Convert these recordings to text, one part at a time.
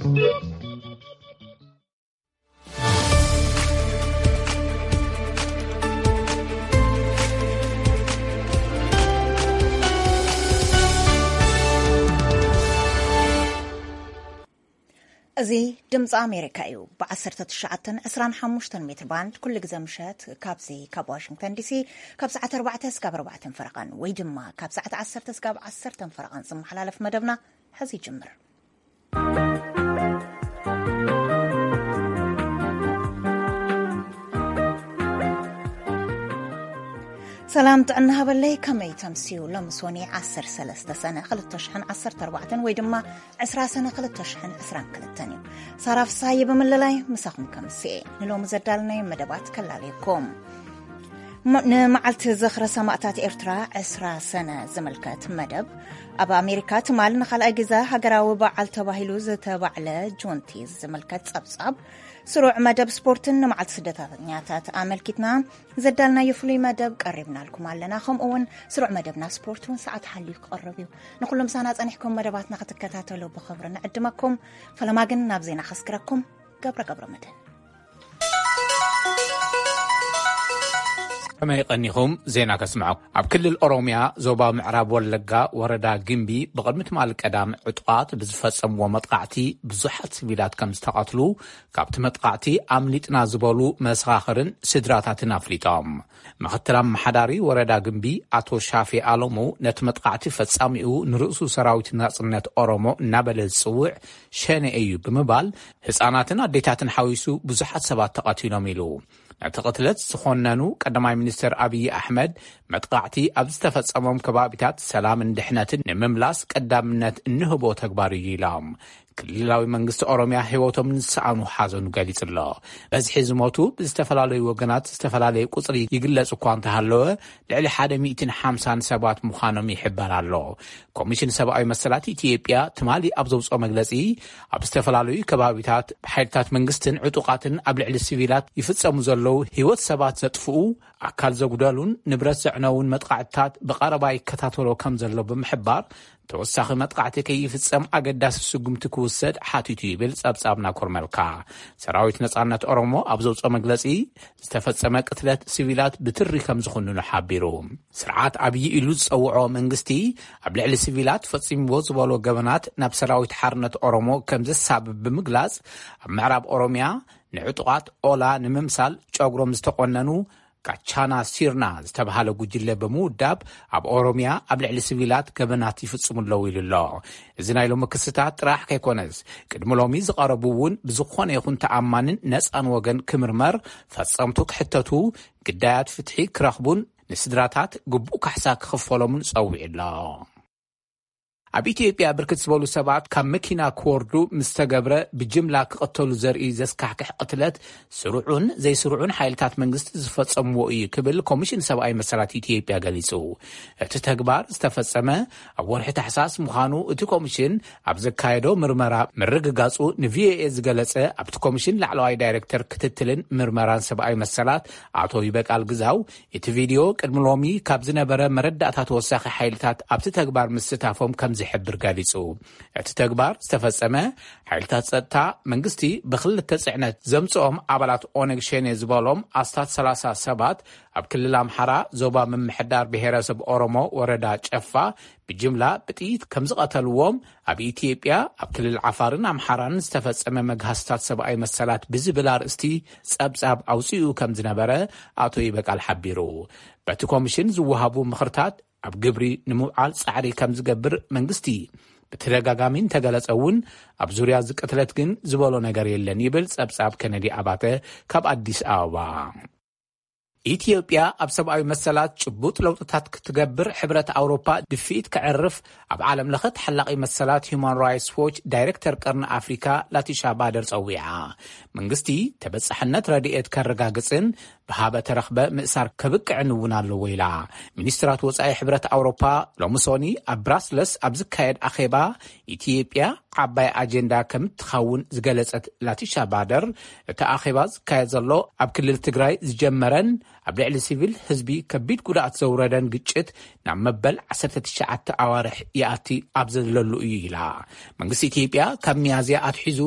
እዚ ድምፂ ኣሜሪካ እዩ። ብ19፣ 25 ሜትር ባንድ ኩሉ ግዜ ምሸት ካብዚ ካብ ዋሽንግተን ዲሲ ካብ ሰዓት ኣርባዕተ እስካብ ኣርባዕተን ፈረቓን ወይ ድማ ካብ ሰዓት ዓሰርተ እስካብ ዓሰርተን ፈረቓን ዝመሓላለፍ መደብና ሕዚ ይጅምር። ሰላም ጥዕና ሃበለይ፣ ከመይ ተምስዩ? ሎሚ ሶኒ ዓሰርተ ሰለስተ ሰነ ክልተ ሽሕን ዓሰርተ ኣርባዕተን ወይ ድማ ዕስራ ሰነ ክልተ ሽሕን ዕስራን ክልተን እዩ። ሳራ ፍሳሃየ ብምልላይ ምሳኹም ከምስኤ ንሎሚ ዘዳልናዮ መደባት ከላለየኩም። ም-፣ ንመዓልቲ ዝኽሪ ሰማእታት ኤርትራ ዕስራ ሰነ ዝምልከት መደብ። ኣብ ኣሜሪካ ትማል ንኻልኣይ ግዜ ሃገራዊ በዓል ተባሂሉ ዝተባዕለ ጁንቲዝ ዝምልከት ጸብጻብ። ስሩዕ መደብ ስፖርትን ንመዓልቲ ስደተኛታት ኣመልኪትና ዘዳልናዮ ፍሉይ መደብ ቀሪብናልኩም ኣለና። ከምኡ እውን ስሩዕ መደብና ስፖርት እውን ሰዓት ሓልዩ ክቐርብ እዩ። ንኹሎም ሳና ጸኒሕኩም መደባትና ክትከታተሉ ብኽብሪ ንዕድመኩም። ፈለማ ግን ናብ ዜና ከስግረኩም። ገብረ ገብረ መድህን። ከመይ ቀኒኹም? ዜና ከስምዐኩም። ኣብ ክልል ኦሮምያ ዞባ ምዕራብ ወለጋ ወረዳ ግምቢ ብቕድሚ ትማሊ ቀዳም ዕጡቓት ብዝፈጸምዎ መጥቃዕቲ ብዙሓት ሲቪላት ከም ዝተቐትሉ ካብቲ መጥቃዕቲ ኣምሊጥና ዝበሉ መሰኻኽርን ስድራታትን ኣፍሊጦም። ምኽትል ኣመሓዳሪ ወረዳ ግምቢ ኣቶ ሻፊ ኣሎሙ ነቲ መጥቃዕቲ ፈጻሚኡ ንርእሱ ሰራዊት ናጽነት ኦሮሞ እናበለ ዝጽውዕ ሸኔ እዩ ብምባል ህጻናትን ኣዴታትን ሓዊሱ ብዙሓት ሰባት ተቐቲሎም ኢሉ። ነቲ ቅትለት ዝኾነኑ ቀዳማይ ሚኒስትር ኣብይ ኣሕመድ መጥቃዕቲ ኣብ ዝተፈጸሞም ከባቢታት ሰላምን ድሕነትን ንምምላስ ቀዳምነት እንህቦ ተግባር እዩ ኢሎም። ክልላዊ መንግስቲ ኦሮምያ ህይወቶም ንዝሰኣኑ ሓዘኑ ገሊጹ ኣሎ። በዝሒ ዝሞቱ ብዝተፈላለዩ ወገናት ዝተፈላለየ ቁጽሪ ይግለጽ እኳ እንተሃለወ ልዕሊ ሓደ ሚእትን ሓምሳን ሰባት ምዃኖም ይሕበር ኣሎ። ኮሚሽን ሰብኣዊ መሰላት ኢትዮጵያ ትማሊ ኣብ ዘውፅኦ መግለጺ ኣብ ዝተፈላለዩ ከባቢታት ብሓይልታት መንግስትን ዕጡቓትን ኣብ ልዕሊ ሲቪላት ይፍጸሙ ዘለዉ ህይወት ሰባት ዘጥፍኡ፣ ኣካል ዘጉደሉን ንብረት ዘዕነውን መጥቃዕትታት ብቐረባ ይከታተሎ ከም ዘሎ ብምሕባር ተወሳኺ መጥቃዕቲ ከይፍጸም ኣገዳሲ ስጉምቲ ክውሰድ ሓቲቱ ይብል ጸብጻብና ኮርመልካ። ሰራዊት ነጻነት ኦሮሞ ኣብ ዘውፅኦ መግለጺ ዝተፈጸመ ቅትለት ሲቪላት ብትሪ ከም ዝኹንኑ ሓቢሩ። ስርዓት ኣብይ ኢሉ ዝጸውዖ መንግስቲ ኣብ ልዕሊ ሲቪላት ፈጺምዎ ዝበሎ ገበናት ናብ ሰራዊት ሓርነት ኦሮሞ ከም ዘሳብብ ብምግላጽ ኣብ ምዕራብ ኦሮምያ ንዕጡቓት ኦላ ንምምሳል ጨጉሮም ዝተቖነኑ ካቻና ሲርና ዝተባሃለ ጉጅለ ብምውዳብ ኣብ ኦሮምያ ኣብ ልዕሊ ሲቪላት ገበናት ይፍጽሙ ኣለዉ ኢሉ ኣሎ። እዚ ናይ ሎሚ ክስታት ጥራሕ ከይኮነስ ቅድሚ ሎሚ ዝቐረቡ እውን ብዝኾነ ይኹን ተኣማንን ነፃን ወገን ክምርመር፣ ፈጸምቱ ክሕተቱ፣ ግዳያት ፍትሒ ክረኽቡን ንስድራታት ግቡእ ካሕሳ ክኽፈሎምን ጸዊዑ ኣሎ። ኣብ ኢትዮጵያ ብርክት ዝበሉ ሰባት ካብ መኪና ክወርዱ ምስ ተገብረ ብጅምላ ክቐተሉ ዘርኢ ዘስካሕክሕ ቅትለት ስሩዑን ዘይስሩዑን ሓይልታት መንግስቲ ዝፈጸምዎ እዩ ክብል ኮሚሽን ሰብኣዊ መሰላት ኢትዮጵያ ገሊጹ። እቲ ተግባር ዝተፈጸመ ኣብ ወርሒ ታሕሳስ ምዃኑ እቲ ኮሚሽን ኣብ ዘካየዶ ምርመራ ምርግጋጹ ንቪኦኤ ዝገለጸ ኣብቲ ኮሚሽን ላዕለዋይ ዳይሬክተር ክትትልን ምርመራን ሰብኣዊ መሰላት ኣቶ ይበቃል ግዛው እቲ ቪድዮ ቅድሚ ሎሚ ካብ ዝነበረ መረዳእታ ተወሳኺ ሓይልታት ኣብቲ ተግባር ምስታፎም ከም ዝሕብር ገሊጹ። እቲ ተግባር ዝተፈጸመ ሓይልታት ጸጥታ መንግስቲ ብክልተ ጽዕነት ዘምጽኦም ኣባላት ኦነግ ሸኔ ዝበሎም ኣስታት ሰላሳ ሰባት ኣብ ክልል ኣምሓራ ዞባ ምምሕዳር ብሔረሰብ ኦሮሞ ወረዳ ጨፋ ብጅምላ ብጥይት ከም ዝቐተልዎም ኣብ ኢትዮጵያ ኣብ ክልል ዓፋርን ኣምሓራን ዝተፈጸመ መግሃስታት ሰብኣዊ መሰላት ብዝብል ኣርእስቲ ጸብጻብ ኣውጺኡ ከም ዝነበረ ኣቶ ይበቃል ሓቢሩ። በቲ ኮሚሽን ዝወሃቡ ምኽርታት ኣብ ግብሪ ንምውዓል ጻዕሪ ከም ዝገብር መንግስቲ ብተደጋጋሚ እንተገለጸ እውን ኣብ ዙርያ እዚ ቅትለት ግን ዝበሎ ነገር የለን ይብል ጸብጻብ ከነዲ ኣባተ ካብ ኣዲስ ኣበባ። ኢትዮጵያ ኣብ ሰብኣዊ መሰላት ጭቡጥ ለውጥታት ክትገብር ሕብረት ኣውሮፓ ድፍኢት ከዕርፍ ኣብ ዓለም ለኸ ተሓላቒ መሰላት ሁማን ራይትስ ዎች ዳይሬክተር ቀርኒ ኣፍሪካ ላቲሻ ባደር ጸዊዓ። መንግስቲ ተበጻሕነት ረድኤት ከረጋግጽን ብሃበ ተረኽበ ምእሳር ከብቅዕን እውን ኣለዎ ኢላ። ሚኒስትራት ወጻኢ ሕብረት ኣውሮፓ ሎሚ ሶኒ ኣብ ብራስለስ ኣብ ዝካየድ ኣኼባ ኢትዮጵያ ዓባይ ኣጀንዳ ከም እትኸውን ዝገለጸት ላቲሻ ባደር፣ እቲ ኣኼባ ዝካየድ ዘሎ ኣብ ክልል ትግራይ ዝጀመረን ኣብ ልዕሊ ሲቪል ህዝቢ ከቢድ ጉድኣት ዘውረደን ግጭት ናብ መበል ዓሰርተ ትሽዓተ ኣዋርሕ ይኣቲ ኣብ ዘለሉ እዩ ኢላ። መንግስቲ ኢትዮጵያ ካብ ሚያዝያ ኣትሒዙ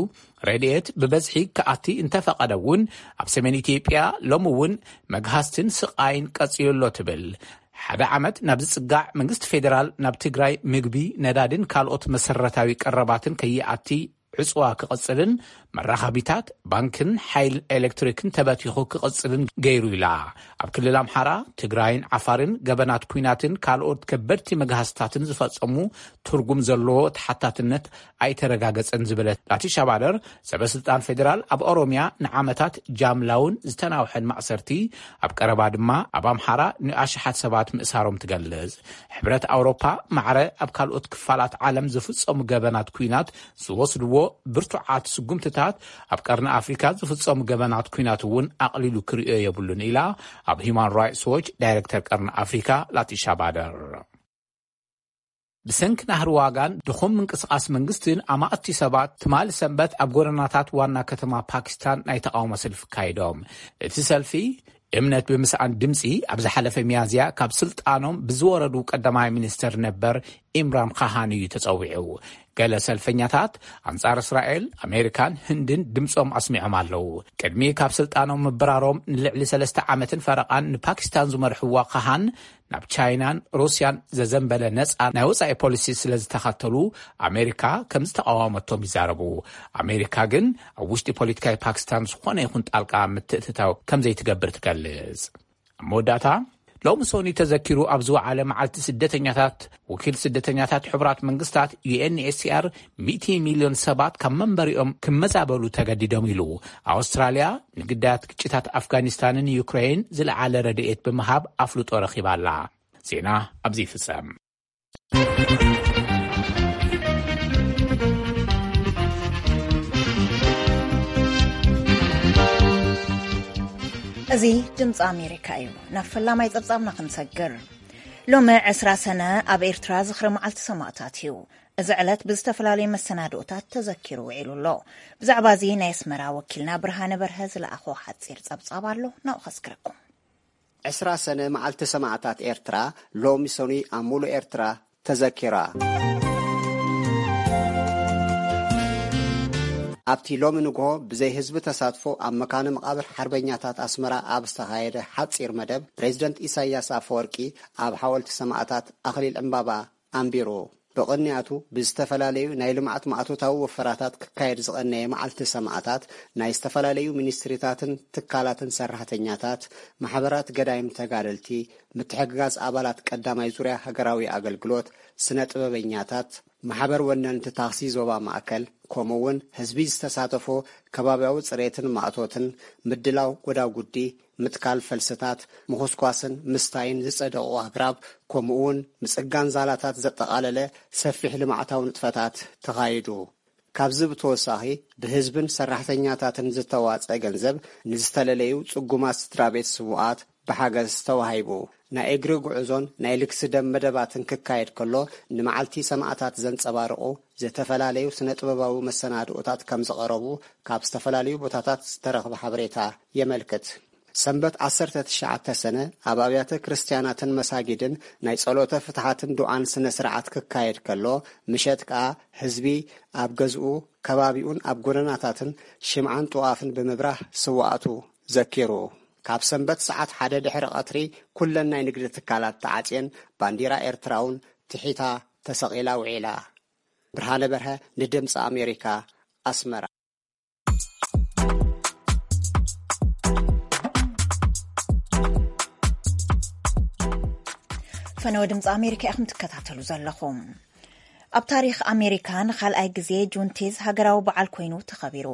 ረድኤት ብበዝሒ ክኣቲ እንተፈቐደ እውን፣ ኣብ ሰሜን ኢትዮጵያ ሎሚ እውን መግሃስትን ስቓይን ቀጺሉ ኣሎ ትብል። ሓደ ዓመት ናብ ዝጽጋዕ መንግስቲ ፌደራል ናብ ትግራይ ምግቢ፣ ነዳድን ካልኦት መሰረታዊ ቀረባትን ከይኣቲ ዕጽዋ ክቕጽልን መራኸቢታት ባንክን ሓይል ኤሌክትሪክን ተበቲኹ ክቕጽልን ገይሩ ኢላ። ኣብ ክልል ኣምሓራ፣ ትግራይን ዓፋርን ገበናት ኲናትን ካልኦት ከበድቲ መግሃስታትን ዝፈጸሙ ትርጉም ዘለዎ ተሓታትነት ኣይተረጋገጸን ዝበለት ላቲሻ ባደር፣ ሰበ ስልጣን ፌደራል ኣብ ኦሮሚያ ንዓመታት ጃምላውን ዝተናውሐን ማእሰርቲ፣ ኣብ ቀረባ ድማ ኣብ ኣምሓራ ንኣሽሓት ሰባት ምእሳሮም ትገልጽ። ሕብረት ኣውሮፓ ማዕረ ኣብ ካልኦት ክፋላት ዓለም ዝፍጸሙ ገበናት ኲናት ዝወስድዎ ብርቱዓት ስጉምትታት፣ ኣብ ቀርኒ ኣፍሪካ ዝፍጸሙ ገበናት ኲናት እውን ኣቕሊሉ ክርእዮ የብሉን ኢላ ኣብ ሂማን ራይትስ ዎች ዳይሬክተር ቀርኒ ኣፍሪካ ላቲሻ ባደር። ብሰንኪ ናህሪ ዋጋን ድኹም ምንቅስቓስ መንግስትን ኣማእቲ ሰባት ትማሊ ሰንበት ኣብ ጎደናታት ዋና ከተማ ፓኪስታን ናይ ተቓውሞ ሰልፊ ካይዶም። እቲ ሰልፊ እምነት ብምስኣን ድምፂ ኣብ ዝሓለፈ ሚያዝያ ካብ ስልጣኖም ብዝወረዱ ቀዳማይ ሚኒስተር ነበር ኢምራን ካሃን እዩ ተፀዊዑ። ገለ ሰልፈኛታት ኣንጻር እስራኤል፣ ኣሜሪካን ህንድን ድምፆም ኣስሚዖም ኣለዉ። ቅድሚ ካብ ስልጣኖም ምብራሮም ንልዕሊ ሰለስተ ዓመትን ፈረቓን ንፓኪስታን ዝመርሕዋ ካሃን፣ ናብ ቻይናን ሩስያን ዘዘንበለ ነጻ ናይ ወጻኢ ፖሊሲ ስለ ዝተኸተሉ፣ ኣሜሪካ ከም ዝተቓወመቶም ይዛረቡ። ኣሜሪካ ግን ኣብ ውሽጢ ፖለቲካዊ ፓኪስታን ዝኾነ ይኹን ጣልቃ ምትእትታው ከም ዘይትገብር ትገልጽ። ኣብ መወዳእታ፣ ሎሚ ሶኒ ተዘኪሩ ኣብ ዝወዓለ መዓልቲ ስደተኛታት፣ ወኪል ስደተኛታት ሕቡራት መንግስታት፣ ዩ ኤን ኤች ሲ ኣር፣ ሚእቲ ሚልዮን ሰባት ካብ መንበሪኦም ክመዛበሉ ተገዲዶም ኢሉ። ኣውስትራልያ ንግዳያት ግጭታት ኣፍጋኒስታንን ዩክሬን ዝለዓለ ረድኤት ብምሃብ ኣፍልጦ ረኺባ ኣላ። ዜና ኣብዚ ይፍጸም። እዚ ድምፂ ኣሜሪካ እዩ። ናብ ፈላማይ ጸብጻብና ክንሰግር። ሎሚ ዕስራ ሰነ ኣብ ኤርትራ ዝኽሪ መዓልቲ ሰማእታት እዩ። እዚ ዕለት ብዝተፈላለዩ መሰናድኦታት ተዘኪሩ ውዒሉ ኣሎ። ብዛዕባ እዚ ናይ ኣስመራ ወኪልና ብርሃነ በርሀ ዝለኣኾ ሓጺር ጸብጻብ ኣሎ፣ ናብኡ ከስግረኩም። ዕስራ ሰነ መዓልቲ ሰማእታት ኤርትራ ሎሚ ሰኑይ ኣብ ሙሉእ ኤርትራ ተዘኪራ። ኣብቲ ሎሚ ንግሆ ብዘይ ህዝቢ ተሳትፎ ኣብ መካነ መቓብር ሓርበኛታት ኣስመራ ኣብ ዝተኻየደ ሓጺር መደብ፣ ፕሬዚደንት ኢሳያስ ኣፈወርቂ ኣብ ሓወልቲ ሰማእታት ኣኽሊል ዕምባባ ኣንቢሩ። ብቕንያቱ ብዝተፈላለዩ ናይ ልምዓት ማእቶታዊ ወፈራታት ክካየድ ዝቐነየ መዓልቲ ሰማእታት፣ ናይ ዝተፈላለዩ ሚኒስትሪታትን ትካላትን ሰራሕተኛታት፣ ማሕበራት ገዳይም ተጋደልቲ፣ ምትሕግጋዝ ኣባላት ቀዳማይ ዙርያ ሃገራዊ ኣገልግሎት፣ ስነ ጥበበኛታት፣ ማሕበር ወነንቲ ታኽሲ ዞባ ማእከል፣ ከምኡ እውን ህዝቢ ዝተሳተፎ ከባብያዊ ጽሬትን ማእቶትን፣ ምድላው ጎዳጉዲ፣ ምትካል ፈልስታት፣ ምኹስኳስን ምስታይን ዝጸደቑ ኣግራብ፣ ከምኡ እውን ምጽጋን ዛላታት ዘጠቓለለ ሰፊሕ ልምዓታዊ ንጥፈታት ተኻይዱ። ካብዚ ብተወሳኺ፣ ብህዝብን ሰራሕተኛታትን ዝተዋጸ ገንዘብ ንዝተለለዩ ጽጉማት ስድራ ቤት ስዉኣት ብሓገዝ ተዋሂቡ። ናይ እግሪ ጉዕዞን ናይ ልግሲ ደም መደባትን ክካየድ ከሎ፣ ንመዓልቲ ሰማእታት ዘንጸባርቑ ዝተፈላለዩ ስነ ጥበባዊ መሰናድኦታት ከም ዝቐረቡ ካብ ዝተፈላለዩ ቦታታት ዝተረኽበ ሓበሬታ የመልክት። ሰንበት ዓሰርተ ትሽዓተ ሰነ ኣብ ኣብያተ ክርስትያናትን መሳጊድን ናይ ጸሎተ ፍትሓትን ዱዓን ስነ ስርዓት ክካየድ ከሎ፣ ምሸት ከኣ ህዝቢ ኣብ ገዝኡ፣ ከባቢኡን ኣብ ጎደናታትን ሽምዓን ጥዋፍን ብምብራህ ስውኣቱ ዘኪሩ። ካብ ሰንበት ሰዓት ሓደ ድሕሪ ቀትሪ ኩለን ናይ ንግዲ ትካላት ተዓጽየን፣ ባንዲራ ኤርትራ እውን ትሒታ ተሰቒላ ውዒላ። ብርሃነ በርሀ ንድምፂ ኣሜሪካ፣ ኣስመራ። ፈነወ ድምፂ ኣሜሪካ ኢኹም ትከታተሉ ዘለኹም። ኣብ ታሪኽ ኣሜሪካ ንኻልኣይ ግዜ ጁንቲዝ ሃገራዊ በዓል ኮይኑ ተኸቢሩ።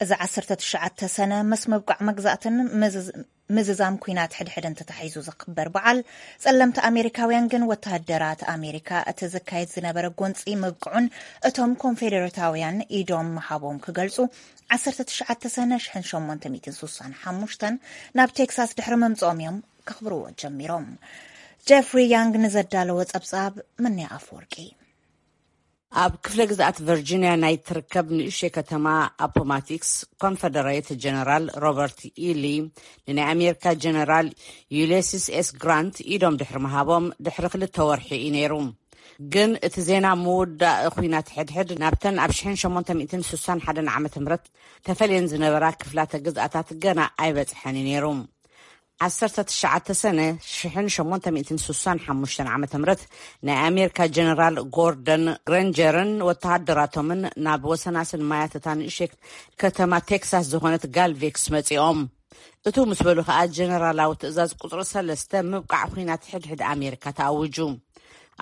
እዚ ዓሰርተ ትሽዓተ ሰነ ምስ ምብቃዕ መግዛእትን ምዝዝ-፣ ምዝዛም ኲናት ሕድሕድን ተታሒዙ ዝኽበር በዓል፣ ጸለምቲ ኣሜሪካውያን ግን ወተሃደራት ኣሜሪካ እቲ ዝካየድ ዝነበረ ጎንጺ ምብቅዑን እቶም ኮንፌደሬታውያን ኢዶም ምሃቦም ክገልጹ፣ ዓሰርተ ትሽዓተ ሰነ ሽሕን ሸሞንተ ሚእትን ስሳን ሓሙሽተን ናብ ቴክሳስ ድሕሪ ምምጽኦም እዮም ከኽብርዎ ጀሚሮም። ጀፍሪ ያንግ ንዘዳለዎ ጸብጻብ፣ ምንያ ኣፈወርቂ። ኣብ ክፍለ ግዝኣት ቨርጂንያ ናይ ትርከብ ንእሽተይ ከተማ ኣፖማቲክስ፣ ኮንፈደሬት ጀነራል ሮበርት ኢሊ ንናይ ኣሜሪካ ጀነራል ዩሊሲስ ኤስ ግራንት ኢዶም ድሕሪ ምሃቦም ድሕሪ ክልተ ወርሒ እዩ ነይሩ። ግን እቲ ዜና ምውዳእ ኲናት ሕድሕድ ናብተን ኣብ ሽሕን ሸሞንተ ሚእትን ስሳን ሓደን ዓመተ ምህረት ተፈልየን ዝነበራ ክፍላተ ግዝኣታት ገና ኣይበጽሐን እዩ ነይሩ። ዓሰርተ ትሽዓተ ሰነ ሽሕን ሸሞንተ ሚእትን ስሳን ሓሙሽተን ዓመተ ምህረት ናይ ኣሜሪካ ጀነራል ጎርደን ግሬንጀርን ወተሃደራቶምን ናብ ወሰናስን ማያት እታ ንእሽተይ ከተማ ቴክሳስ ዝኾነት ጋልቬክስ መጺኦም። እቱ ምስ በሉ ከኣ ጀነራላዊ ትእዛዝ ቁጽሪ ሰለስተ ምብቃዕ ኲናት ሕድሕድ ኣሜሪካ ተኣውጁ።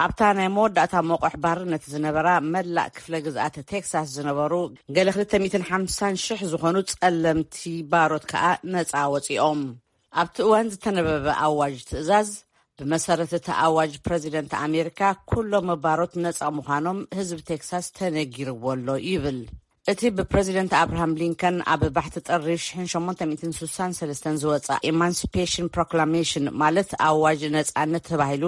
ኣብታ ናይ መወዳእታ መቑሕ ባርነት ዝነበራ መላእ ክፍለ ግዝኣት ቴክሳስ ዝነበሩ ገለ ክልተ ሚእትን ሓምሳን ሽሕ ዝኾኑ ጸለምቲ ባሮት ከኣ ነጻ ወጺኦም። ኣብቲ እዋን ዝተነበበ ኣዋጅ ትእዛዝ፣ ብመሰረት እቲ ኣዋጅ ፕረዚደንት ኣሜሪካ ኩሎም ባሮት ነጻ ምዃኖም ህዝቢ ቴክሳስ ተነጊርዎ ኣሎ ይብል። እቲ ብፕረዚደንት ኣብርሃም ሊንከን ኣብ ባሕቲ ጥሪ ሽሕን ሸሞንተ ሚእትን ስሳን ሰለስተን ዝወጻ ኢማንሲፔሽን ፕሮክላሜሽን፣ ማለት ኣዋጅ ነጻነት ተባሂሉ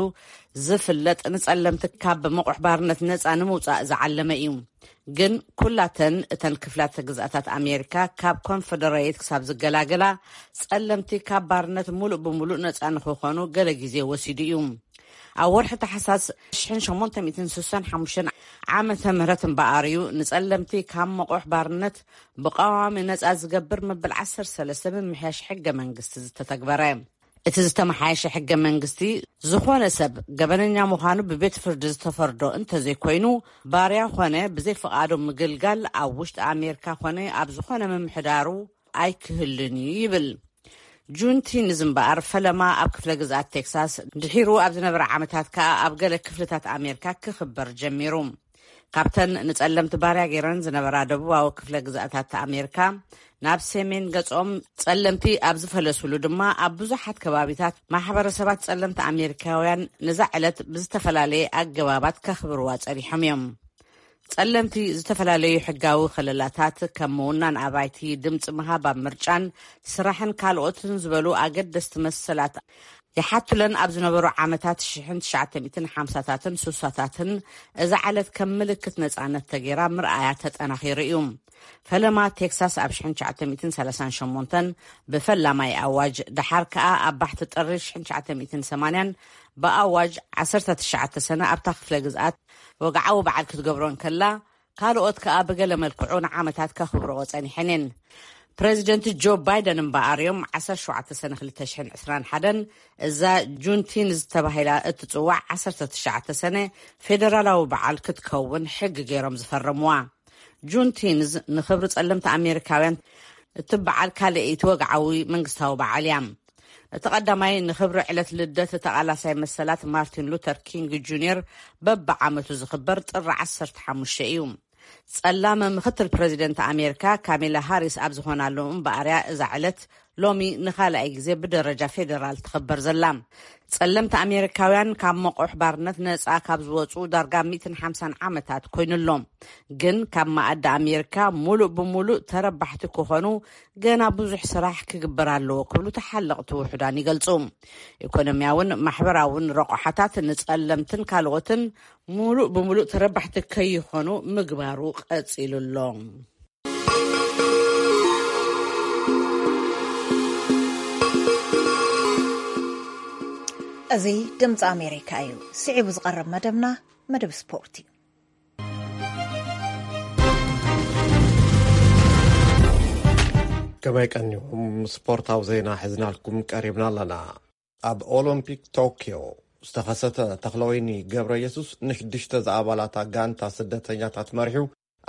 ዝፍለጥ፣ ንጸለምቲ ካብ መቑሕ ባርነት ነጻ ንምውጻእ ዝዓለመ እዩ። ግን ኩላተን እተን ክፍላተ ግዝኣታት ኣሜሪካ፣ ካብ ኮንፈደሬት ክሳብ ዝገላገላ፣ ጸለምቲ ካብ ባርነት ሙሉእ ብሙሉእ ነጻ ንክኾኑ ገለ ግዜ ወሲዱ እዩ። ኣብ ወርሒ ታሕሳስ ሽሕን ሸሞንተ ሚእትን ስሳን ሓሙሽተን ዓመተ ምህረት እምበኣር እዩ ንጸለምቲ ካብ መቑሕ ባርነት ብቐዋሚ ነጻ ዝገብር መበል ዓሰርተ ሰለስተ ምምሕያሽ ሕገ መንግስቲ ዝተተግበረ። እቲ ዝተመሓየሸ ሕገ መንግስቲ፣ ዝኾነ ሰብ ገበነኛ ምዃኑ ብቤት ፍርዲ ዝተፈርዶ እንተዘይኮይኑ፣ ባርያ ኾነ ብዘይ ፍቓዱ ምግልጋል ኣብ ውሽጢ ኣሜሪካ ኾነ ኣብ ዝኾነ ምምሕዳሩ ኣይክህልን እዩ ይብል። ጁንቲንዝ እምበኣር ፈለማ ኣብ ክፍለ ግዝኣት ቴክሳስ፣ ድሒሩ ኣብ ዝነበረ ዓመታት ከኣ ኣብ ገለ ክፍልታት ኣሜሪካ ክኽበር ጀሚሩ። ካብተን ንጸለምቲ ባርያ ገይረን ዝነበራ ደቡባዊ ክፍለ ግዝኣታት ኣሜሪካ፣ ናብ ሰሜን ገጾም ጸለምቲ ኣብ ዝፈለሱሉ ድማ፣ ኣብ ብዙሓት ከባቢታት ማሕበረሰባት ጸለምቲ ኣሜሪካውያን ነዛ ዕለት ብዝተፈላለየ ኣገባባት ከኽብርዋ ጸኒሖም እዮም። ጸለምቲ ዝተፈላለዩ ሕጋዊ ከለላታት፣ ከም ምውናን ኣባይቲ፣ ድምጺ ምሃብ ኣብ ምርጫን ስራሕን ካልኦትን ዝበሉ ኣገደስቲ መሰላት ይሓቱለን ኣብ ዝነበሩ ዓመታት ሽሕን ትሽዓተ ሚእትን ሓምሳታትን ስሳታትን፣ እዛ ዕለት ከም ምልክት ነጻነት ተገይራ ምርኣያ ተጠናኺሩ እዩ። ፈለማ ቴክሳስ ኣብ ሽሕን ትሽዓተ ሚእትን ሰላሳን ሸሞንተን ብፈላማይ ኣዋጅ፣ ደሓር ከኣ ኣብ ባሕቲ ጥሪ ሽሕን ትሽዓተ ሚእትን ሰማንያን ብኣዋጅ ዓሰርተ ትሽዓተ ሰነ ኣብታ ክፍለ ግዝኣት ወግዓዊ በዓል ክትገብሮ እንከላ፣ ካልኦት ከኣ ብገለ መልክዑ ንዓመታት ከኽብርኦ ጸኒሐን እየን። ፕረዚደንት ጆ ባይደን እምበኣር እዮም ዓሰርተ ሸውዓተ ሰነ ክልተ ሽሕን ዕስራን ሓደን እዛ ጁንቲንዝ ተባሂላ እትጽዋዕ ዓሰርተ ትሽዓተ ሰነ ፌደራላዊ በዓል ክትከውን ሕጊ ገይሮም ዝፈረምዋ። ጁንቲንዝ ንኽብሪ ጸለምቲ ኣሜሪካውያን እትበዓል ካልኣይቲ ወግዓዊ መንግስታዊ በዓል እያ። እቲ ቀዳማይ ንኽብሪ ዕለት ልደት ተቓላሳይ መሰላት ማርቲን ሉተር ኪንግ ጁኒየር በብዓመቱ ዝኽበር ጥሪ ዓሰርተ ሓሙሽተ እዩ። ጸላም ምኽትል ፕረዚደንት ኣሜሪካ ካሜላ ሃሪስ ኣብ ዝኾናሉ እምበኣርያ እዛ ዕለት ሎሚ ንኻልኣይ ግዜ ብደረጃ ፌደራል ትኽበር ዘላ። ጸለምቲ ኣሜሪካውያን ካብ መቑሕ ባርነት ነጻ ካብ ዝወጹ ዳርጋ ሚእትን ሓምሳን ዓመታት ኮይኑ ኣሎ። ግን ካብ መኣዲ ኣሜሪካ ሙሉእ ብሙሉእ ተረባሕቲ ክኾኑ ገና ብዙሕ ስራሕ ክግበር ኣለዎ ክብሉ ተሓለቕቲ ውሑዳን ይገልጹ። ኢኮኖሚያውን ማሕበራውን ረቑሓታት ንጸለምትን ካልኦትን ሙሉእ ብሙሉእ ተረባሕቲ ከይኾኑ ምግባሩ ቀጺሉ ኣሎ። እዚ ድምፂ ኣሜሪካ እዩ። ስዒቡ ዝቐርብ መደብና መደብ ስፖርት እዩ። ከመይ ቀኒኹም? ስፖርታዊ ዜና ሒዝናልኩም ቀሪብና ኣለና። ኣብ ኦሎምፒክ ቶክዮ ዝተኸሰተ ተኽለወይኒ ገብረ የሱስ ንሽዱሽተ ዝኣባላታ ጋንታ ስደተኛታት መሪሑ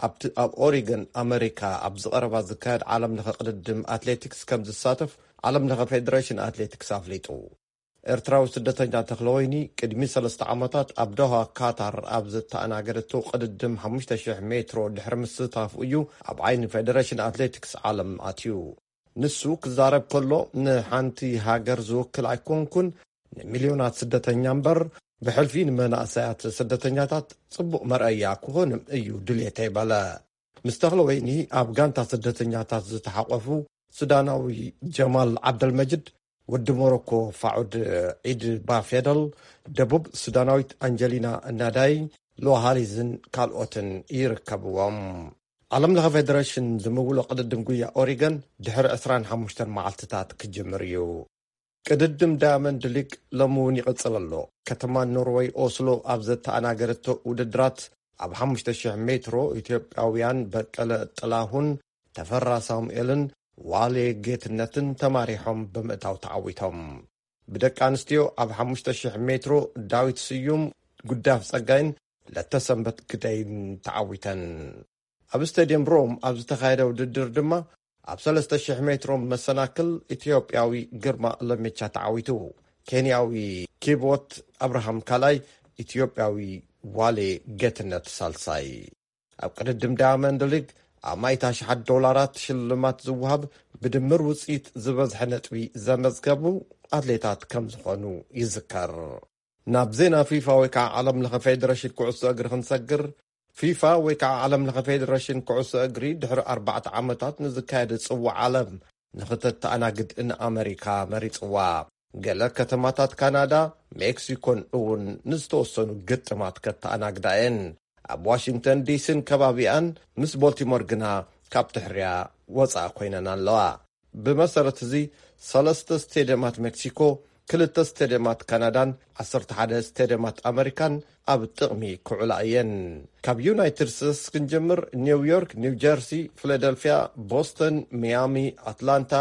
ኣብቲ ኣብ ኦሪገን ኣመሪካ ኣብ ዝቐረባ ዝካየድ ዓለም ለኸ ቅድድም ኣትሌቲክስ ከም ዝሳተፍ ዓለም ለኸ ፌደሬሽን ኣትሌቲክስ ኣፍሊጡ። ኤርትራዊ ስደተኛ ተኽለወይኒ ቅድሚ ሰለስተ ዓመታት ኣብ ዶሃ ካታር ኣብ ዝተኣናገደቶ ቅድድም ሓሙሽተ ሽሕ ሜትሮ ድሕሪ ምስታፉ እዩ ኣብ ዓይኒ ፌደሬሽን ኣትሌቲክስ ዓለም ኣትዩ። ንሱ ክዛረብ ከሎ፣ ንሓንቲ ሃገር ዝውክል ኣይኮንኩን፣ ንሚልዮናት ስደተኛ እምበር፣ ብሕልፊ ንመናእሰያት ስደተኛታት ጽቡቕ መርኣያ ክኾን እዩ ድሌተይ በለ። ምስ ተኽለ ወይኒ ኣብ ጋንታ ስደተኛታት ዝተሓቆፉ ሱዳናዊ ጀማል ዓብደልመጅድ፣ ወዲ ሞሮኮ ፋዑድ ዒድ ባፌደል፣ ደቡብ ሱዳናዊት ኣንጀሊና ናዳይ፣ ሎሃሊዝን ካልኦትን ይርከብዎም። ዓለም ለኸ ፌደሬሽን ዝምውሎ ቅድድም ጉያ ኦሪገን ድሕሪ ዕስራን ሓሙሽተን መዓልትታት ክጅምር እዩ። ቅድድም ዳያመንድ ሊግ ሎሚ እውን ይቕጽል ኣሎ። ከተማ ኖርወይ ኦስሎ ኣብ ዘተኣናገደቶ ውድድራት ኣብ ሓሙሽተ ሽሕ ሜትሮ ኢትዮጵያውያን በቀለ ጥላሁን፣ ተፈራ ሳሙኤልን ዋሌ ጌትነትን ተማሪሖም ብምእታው ተዓዊቶም። ብደቂ ኣንስትዮ ኣብ ሓሙሽተ ሽሕ ሜትሮ ዳዊት ስዩም፣ ጉዳፍ ጸጋይን ለተሰንበት ግደይን ተዓዊተን። ኣብ ስቴድየም ሮም ኣብ ዝተኻየደ ውድድር ድማ ኣብ ሰለስተ ሽሕ ሜትሮ መሰናክል ኢትዮጵያዊ ግርማ ለሜቻ ተዓዊቱ። ኬንያዊ ኪቦት ኣብርሃም ካልኣይ፣ ኢትዮጵያዊ ዋሌ ጌትነት ሳልሳይ። ኣብ ቅድድም ዳያመንድ ሊግ ኣብ ማይት ኣሽሓት ዶላራት ሽልማት ዝወሃብ ብድምር ውፅኢት ዝበዝሐ ነጥቢ ዘመዝገቡ ኣትሌታት ከም ዝኾኑ ይዝከር። ናብ ዜና ፊፋ ወይ ከዓ ዓለም ለኸ ፌደሬሽን ኩዕሶ እግሪ ክንሰግር፣ ፊፋ ወይ ከዓ ዓለም ለኸ ፌደሬሽን ኩዕሶ እግሪ ድሕሪ ኣርባዕተ ዓመታት ንዝካየድ ጽዋዕ ዓለም ንኽተተኣናግድ ንኣመሪካ መሪጽዋ። ገለ ከተማታት ካናዳ፣ ሜክሲኮን እውን ንዝተወሰኑ ግጥማት ከተኣናግዳ እየን። ኣብ ዋሽንግተን ዲሲን ከባቢኣን ምስ ቦልቲሞር ግና ካብ ትሕርያ ወጻኢ ኮይነን ኣለዋ። ብመሰረት እዚ፣ ሰለስተ ስቴድየማት ሜክሲኮ፣ ክልተ ስቴድየማት ካናዳን ዓሰርተ ሓደ ስቴድየማት ኣመሪካን ኣብ ጥቕሚ ክውዕላ እየን። ካብ ዩናይትድ ስቴትስ ክንጀምር፣ ኒውዮርክ፣ ኒው ጀርሲ፣ ፊላደልፊያ፣ ቦስተን፣ ሚያሚ፣ ኣትላንታ፣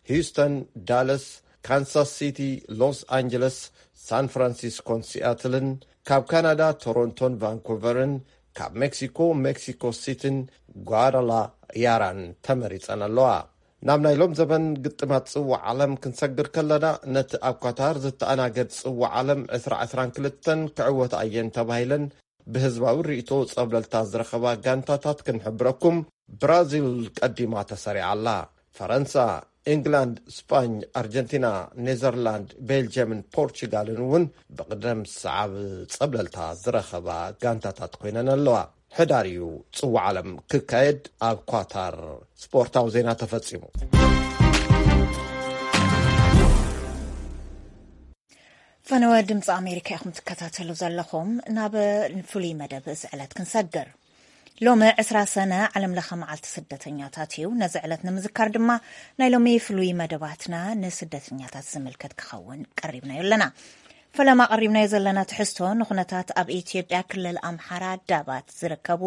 ሂውስተን፣ ዳለስ፣ ካንሳስ ሲቲ፣ ሎስ ኣንጀለስ፣ ሳን ፍራንሲስኮን ሲያትልን፣ ካብ ካናዳ ቶሮንቶን ቫንኩቨርን፣ ካብ ሜክሲኮ ሜክሲኮ ሲቲን ጓዳላያራን ተመሪጸን ኣለዋ። ናብ ናይ ሎም ዘበን ግጥማት ጽዋዕ ዓለም ክንሰግር ከለና፣ ነቲ ኣብ ኳታር ዝተኣናገድ ጽዋዕ ዓለም ዕስራ ዕስራን ክልተን ክዕወታ እየን ተባሂለን ብህዝባዊ ርእይቶ ጸብለልታ ዝረኸባ ጋንታታት ክንሕብረኩም፣ ብራዚል ቀዲማ ተሰሪዓ ኣላ። ፈረንሳ፣ ኢንግላንድ፣ ስጳኝ፣ ኣርጀንቲና፣ ኔዘርላንድ፣ ቤልጅየምን ፖርቹጋልን እውን ብቕደም ሰዓብ ጸብለልታ ዝረኸባ ጋንታታት ኮይነን ኣለዋ። ሕዳር እዩ ጽዋዕ ዓለም ክካየድ ኣብ ኳታር። ስፖርታዊ ዜና ተፈጺሙ። ፈነወ ድምፂ ኣሜሪካ ኢኹም ትከታተሉ ዘለኹም። ናብ ፍሉይ መደብ እዚ ዕለት ክንሰግር። ሎሚ ዕስራ ሰነ ዓለም ለኸ መዓልቲ ስደተኛታት እዩ። ነዚ ዕለት ንምዝካር ድማ ናይ ሎሚ ፍሉይ መደባትና ንስደተኛታት ዝምልከት ክኸውን ቀሪብናዮ ኣለና። ፈለማ ቀሪብናዮ ዘለና ትሕዝቶ ንኹነታት ኣብ ኢትዮጵያ ክልል ኣምሓራ ዳባት ዝርከቡ